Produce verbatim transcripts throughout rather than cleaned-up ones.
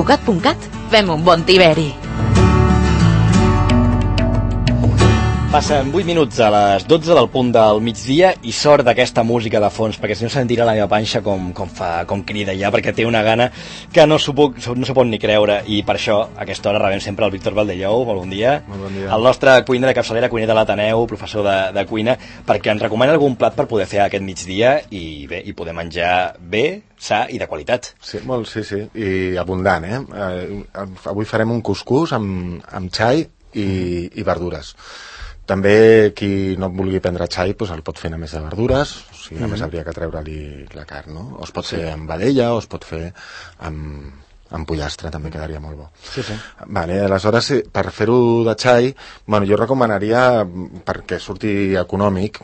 Cugat punt cat fem un bon tiberi. Passen vuit minuts a les dotze del punt del migdia i sort d'aquesta música de fons, perquè si no sentirà la meva panxa com, com, fa, com crida ja, perquè té una gana que no s'ho puc, no s'ho pot ni creure, i per això a aquesta hora rebem sempre el Víctor Valdellou. Molt bon dia. Molt bon dia. El nostre cuiner de capçalera, cuiner de l'Ateneu, professor de, de cuina, perquè ens recomana algun plat per poder fer aquest migdia i bé, i poder menjar bé, sa i de qualitat. Sí, molt, sí, sí, i abundant, eh? eh avui farem un cuscús amb, amb xai i, i verdures. També qui no vulgui prendre xai doncs el pot fer només de verdures, o sigui, només mm-hmm. hauria que treure-li la carn, no? O es pot sí. fer amb vedella, o es pot fer amb, amb pollastre, també quedaria molt bo. Sí, sí. Vale, aleshores, per fer-ho de xai, bueno, jo recomanaria, perquè surti econòmic,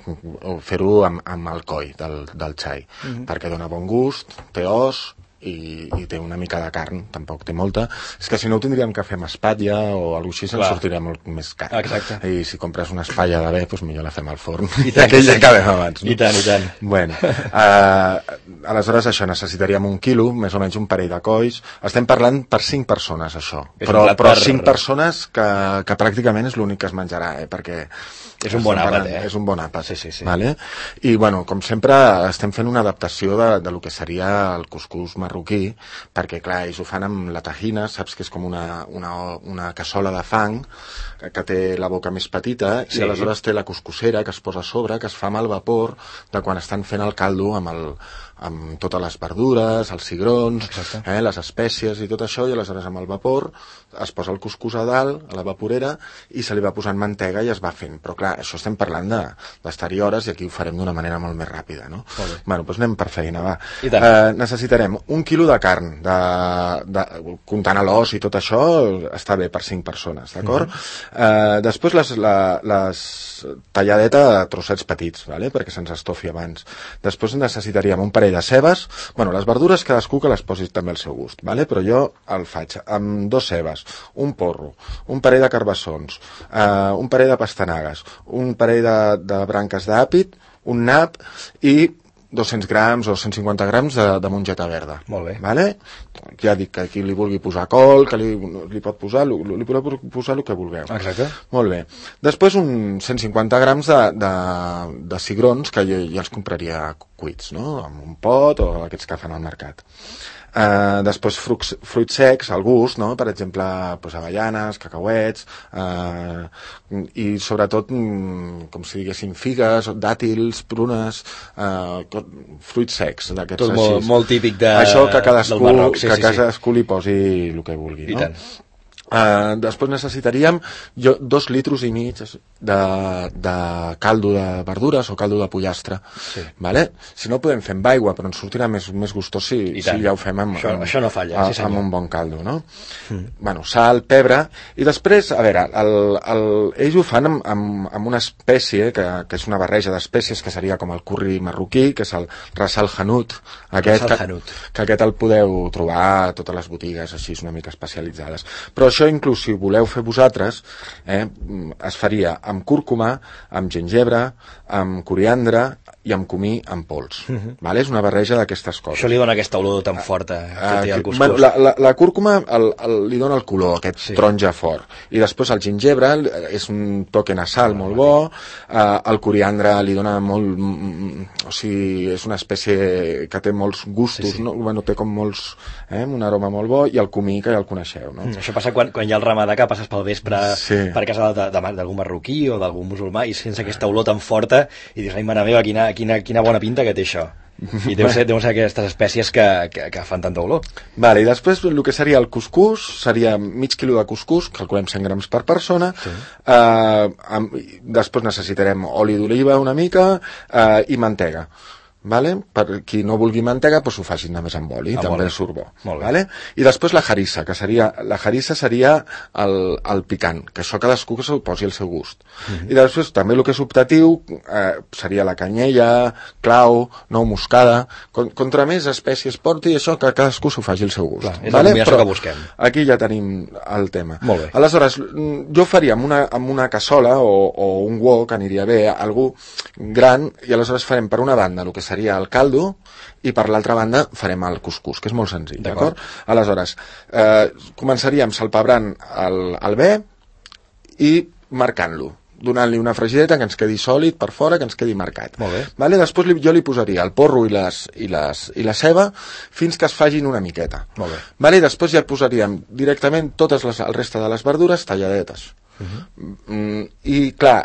fer-ho amb, amb el coll del, del xai, mm-hmm. perquè dona bon gust, té os, I, i té una mica de carn, tampoc té molta. És que si no ho tindríem que fer amb espatlla o alguna cosa així, ens sortiria molt més car. Exacte. I si compres una espatlla de bé, doncs millor la fem al forn. I tant, que ja acabem abans. No? I tant, i tant. Bueno, uh, aleshores això, necessitaríem un quilo, més o menys un parell de colls. Estem parlant per cinc persones, això. És però per... però cinc persones que, que pràcticament és l'únic que es menjarà, eh? Perquè és un bon àpat, eh? És un bon àpat, sí, sí, sí. Vale? I, bueno, com sempre, estem fent una adaptació de, de lo que seria el cuscús marroquí, perquè, clar, ells ho fan amb la tajina, saps que és com una, una, una cassola de fang, que té la boca més petita, sí. I aleshores té la cuscussera que es posa a sobre, que es fa amb el vapor de quan estan fent el caldo amb el amb totes les verdures, els cigrons, eh, les espècies i tot això, i aleshores amb el vapor es posa el cuscús a dalt, a la vaporera, i se li va posant mantega i es va fent. Però clar, això estem parlant d'estar-hi hores i aquí ho farem d'una manera molt més ràpida, no? Bueno, doncs anem per feina, va. Eh, necessitarem un quilo de carn, de, de, comptant l'os i tot això, està bé per cinc persones, d'acord? Mm-hmm. eh, després les, la, les talladeta de trossets petits, vale? Perquè se'ns estofi abans. Després necessitaríem un parell de cebes, bueno, les verdures cadascú que les posi també al seu gust, vale? Però jo el faig amb dos cebes, un porro, un parell de carbassons, eh, un parell de pastanagues, un parell de, de branques d'àpid, un nap i dos-cents grams o cent cinquanta grams de, de mongeta verda. Molt bé. Vale? Ja dic que qui li vulgui posar col, que li, li pot posar, li, li pot posar el que vulgueu. Exacte. Molt bé. Després un cent cinquanta grams de, de, de cigrons que jo ja els compraria cuits, no? Amb un pot o aquests que fan al mercat. Uh, després fruits, fruits secs al gust, no? Per exemple, pues, avellanes, cacauets, uh, i sobretot com si diguéssim figues, dàtils, prunes, uh, fruits secs d'aquests tot molt, molt típic de, això que cadascú, del Marroc, sí, que sí, cadascú sí. li posi el que vulgui, I no? tant. Uh, després necessitaríem jo, dos litros i mig de, de caldo de verdures o caldo de pollastre, sí. Vale? Si no podem fer amb aigua, però ens sortirà més, més gustós si, si ja ho fem amb, això, amb, això no falla, a, sí, amb un bon caldo, no? Mm. Bueno, sal, pebre, i després, a veure, el, el, ells ho fan amb, amb, amb una espècie que, que és una barreja d'espècies que seria com el curri marroquí, que és el ras al hanout, aquest, que, que aquest el podeu trobar a totes les botigues així una mica especialitzades, però això inclús si voleu fer vosaltres, eh, es faria amb cúrcuma, amb gingebre, amb coriandre i amb comí en pols. Uh-huh. Vale? És una barreja d'aquestes coses. Això li dona aquesta olor tan forta que té el cuscús. Bueno, la, la, la cúrcuma el, el, li dona el color, aquest sí. Taronja fort. I després el gingebre és un toque nasal oh, molt bo, uh, el coriandre li dona molt... Mm, o sigui, és una espècie que té molts gustos, sí, sí. No? Bueno, té com molts... Eh, un aroma molt bo, i el comí que ja el coneixeu, no? Mm, això passa quan, quan hi ha el ramadà, que passes pel vespre sí. per casa d'algun marroquí o d'algun musulmà i sense aquesta olor tan forta i dius, ai, mare meva, quina, quina, quina bona pinta que té això. I deu ser, deu ser aquestes espècies que, que, que fan tanta olor. Vale, i després el que seria el cuscús seria mig quilo de cuscús, calculem cent grams per persona, sí. eh, amb, després necessitarem oli d'oliva una mica eh, i mantega. Vale? Per qui no vulgui mantega, doncs ho facin només amb oli, ah, també surt bo. Vale? I després la harissa, que seria, la harissa seria el, el picant, que això cadascú que se'l posi al seu gust. Mm-hmm. I després també el que és optatiu eh, seria la canyella, clau, nou moscada, con, contra més espècies porti, això que cadascú s'ho faci al seu gust. Clar, és vale? la combinació que busquem. Aquí ja tenim el tema. Molt bé. Aleshores, jo faria amb una, amb una cassola o, o un wok, aniria bé, algú gran, i aleshores farem per una banda el que seria seria el caldo, i per l'altra banda farem el cuscús, que és molt senzill, d'acord? Aleshores, eh, començaríem salpebrant el, el bé i marcant-lo, donant-li una fregideta que ens quedi sòlid per fora, que ens quedi marcat. Molt bé. Vale? Després li, jo li posaria el porro i, les, i, les, i la ceba fins que es fagin una miqueta. Molt bé. Vale? Després ja posaríem directament totes les, el reste de les verdures talladetes. Uh-huh. mm, I clar,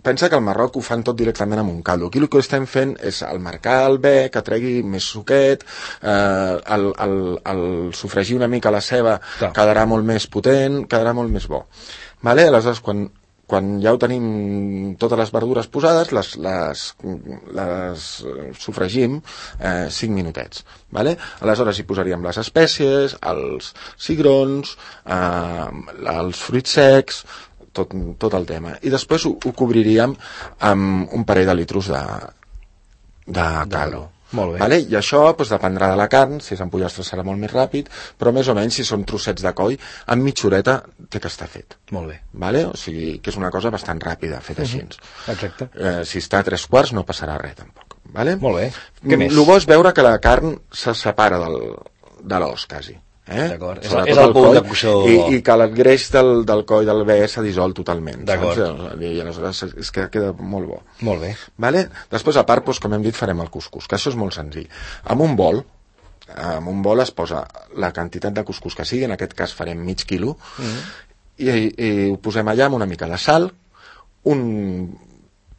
pensa que al Marroc ho fan tot directament amb un caldo. Aquí el que estem fent és el marcar el bé, que tregui més suquet, eh, el, el, el sofregir una mica la ceba, clar, quedarà molt més potent, quedarà molt més bo. Vale? Aleshores, quan quan ja ho tenim totes les verdures posades, les, les, les sofregim eh, cinc minutets. Vale? Aleshores hi posaríem les espècies, els cigrons, eh, els fruits secs, tot, tot el tema. I després ho, ho cobriríem amb un parell de litros de, de caldo. Molt bé. Vale? I això doncs, dependrà de la carn, si és amb pollastre serà molt més ràpid, però més o menys si són trossets de coll, amb mitja horeta té que estar fet. Molt bé. Vale? O sigui, que és una cosa bastant ràpida, feta així. Uh-huh. Exacte. Eh, si està a tres quarts no passarà res, tampoc. Vale? Molt bé. Què més? El bo és veure que la carn se separa del, de l'os, quasi. Eh? D'acord, és, és el punt de cocció. I, i que el greix del, del coll del bé s'ha dissolt totalment. D'acord. I aleshores és que queda molt bo. Molt bé. Vale? Després, a part, doncs, com hem dit, farem el cuscús, que això és molt senzill. Amb un bol, amb un bol es posa la quantitat de cuscús que sigui, en aquest cas farem mig quilo, mm-hmm. i, i ho posem allà amb una mica de sal, un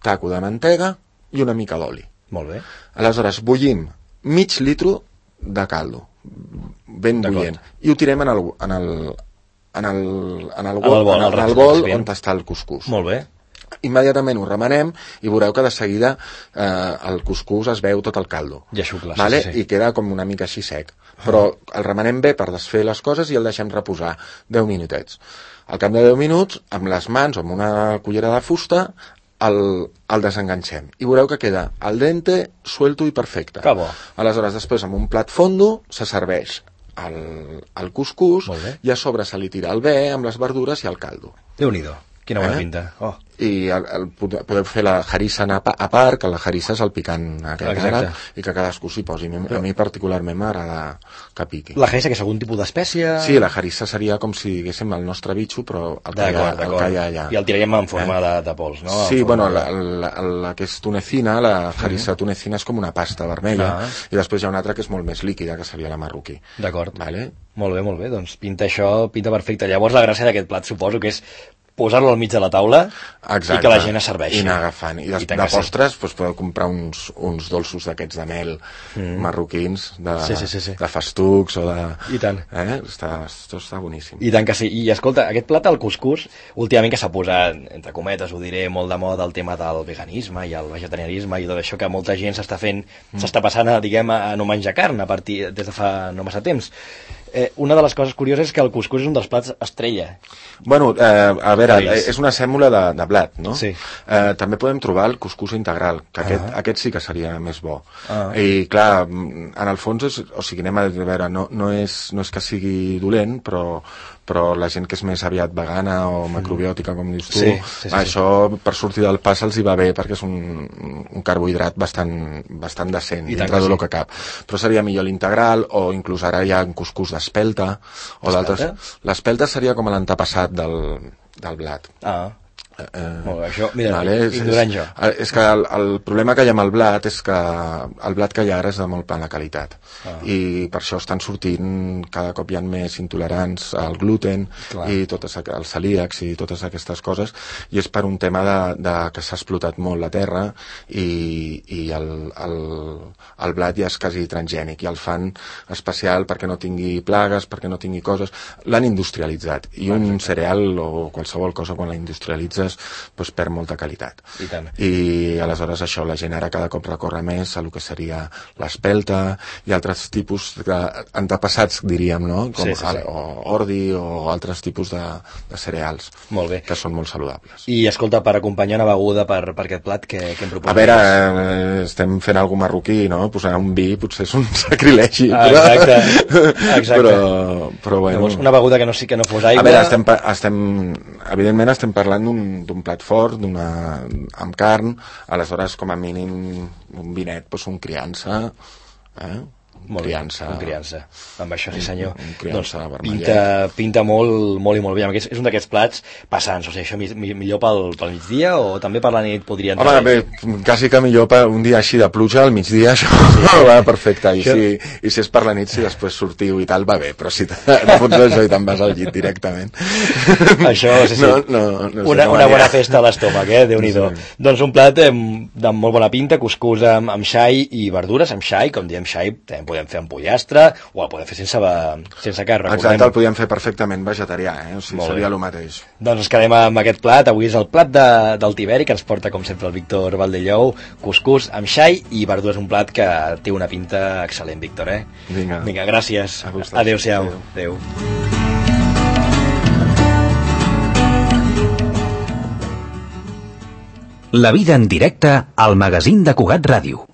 taco de mantega i una mica d'oli. Molt bé. Aleshores, bullim mig litro de caldo, ben bullent, i ho tirem en el, en el, en el, en el, bol, en el, en el bol on està el cuscús. Molt bé. Immediatament ho remenem i veureu que de seguida eh, el cuscús es veu tot el caldo. Ja xucla, vale? sí, sí. I queda com una mica així sec. Però el remenem bé per desfer les coses i el deixem reposar deu minutets. Al cap de deu minuts, amb les mans o amb una cullera de fusta, el, el desenganxem. I veureu que queda al dente, suelto i perfecte. Que bo. Aleshores, després, amb un plat fondo, se serveix el, el cuscús i a sobre se li tira el bé amb les verdures i el caldo. Déu-n'hi-do. Quina bona eh? pinta. Oh. I el, el, podeu fer la harissa a part, que la harissa és el picant aquest àrab, i que cadascú s'hi posi. A mi particularment m'agrada que piqui. La harissa, que és algun tipus d'espècie? Sí, la harissa seria com si diguéssim el nostre bitxo, però el que, hi ha, el que hi ha allà. I el tiraríem en forma eh? de, de pols, no? Sí, bueno, la, la, la, la que és tunecina, la harissa uh-huh. tunecina és com una pasta vermella, uh-huh. i després hi ha una altra que és molt més líquida, que seria la marroquí. D'acord. Vale? Molt bé, molt bé, doncs pinta això, pinta perfecte. Llavors la gràcia d'aquest plat suposo que és posar-lo al mig de la taula. Exacte. I que la gent es serveixi. I anar agafant. I, des, I de postres doncs, podeu comprar uns, uns dolços d'aquests de mel mm. marroquins, de, sí, sí, sí, sí. de festucs o de... I tant. Eh? Està, això està boníssim. I tant que sí. I escolta, aquest plat, el cuscús, últimament que s'ha posat, entre cometes, ho diré, molt de moda el tema del veganisme i el vegetarianisme i tot això que molta gent s'està fent, mm. s'està passant a, diguem, a no menjar carn a partir des de fa no massa temps. Eh, una de les coses curioses és que el cuscús és un dels plats estrella. Bueno, eh, a veure, País. és una sèmola de, de blat, no? Sí. Eh, també podem trobar el cuscús integral, que aquest, uh-huh. aquest sí que seria més bo. Uh-huh. I clar, en el fons, és, o sigui, anem a veure, no, no, és, no és que sigui dolent, però, però la gent que és més aviat vegana o macrobiòtica, com dius tu, sí, sí, sí, això sí. per sortir del pas els hi va bé, perquè és un, un carbohidrat bastant, bastant decent, I dintre del sí. que cap. Però seria millor l'integral, o inclús ara hi ha cuscús d'espelta, o d'altres... L'espelta seria com l'antepassat del, del blat. Ah. Eh, Molt bé, això, mira, vale, és, ignorant jo. És, és que el, el problema que hi ha amb el blat és que el blat que hi ha ara és de molt mala qualitat. Ah. I per això estan sortint, cada cop hi ha més intolerants al gluten, Clar. i totes, els celíacs i totes aquestes coses, i és per un tema de, de que s'ha explotat molt la terra i, i el, el, el blat ja és quasi transgènic i el fan especial perquè no tingui plagues, perquè no tingui coses. L'han industrialitzat i un Perfecte. cereal o qualsevol cosa quan la industrialitzes doncs perd molta qualitat. I tant. I aleshores això, la gent ara cada cop recorre més a el que seria l'espelta i altres tipus d'antepassats, diríem, no? Com sí, sí, sí. o ordi o altres tipus de, de cereals molt bé. que són molt saludables. I escolta, per acompanyar una beguda per, per aquest plat, que, que em proposaries? A veure, eh, estem fent alguna marroquí, no? posar un vi potser és un sacrilegi. Ah, però... exacte, exacte. Però, però bueno... Llavors, una beguda que no, sí que no fos aigua... A veure, estem, estem, evidentment estem parlant d'un plat fort, d'una amb carn, aleshores com a mínim un vinet, doncs un criança, eh? Molt criança. Bé, un criança. Amb això, sí senyor. Un, un criança doncs pinta, pinta molt, molt i molt bé. És, és un d'aquests plats passants. O sigui, això mi, mi, millor pel, pel migdia o també per la nit podria entrar? Home, bé, quasi que millor per un dia així de pluja al migdia, això sí. Va perfecte. I, això... si, I si és per la nit, si després sortiu i tal, va bé. Però si te fots això i te'n vas al llit directament... Això, sí, sí. No, no, no una, una bona festa a l'estómac, eh? Déu-n'hi-do. Sí. Doncs un plat eh, de molt bona pinta, cuscús amb, amb xai i verdures, amb xai, com diem xai, també podem fer amb pollastre, o el podem fer sense, sense carn. Exacte, el podíem fer perfectament vegetarià, eh? O sigui, seria el mateix. Doncs ens quedem amb aquest plat. Avui és el plat de, del Tiberi, que ens porta, com sempre, el Víctor Valdellou, cuscús amb xai i verdures, un plat que té una pinta excel·lent, Víctor, eh? Vinga. Vinga, gràcies. Adéu-siau. Adéu. La vida en directe al magazín de Cugat Ràdio.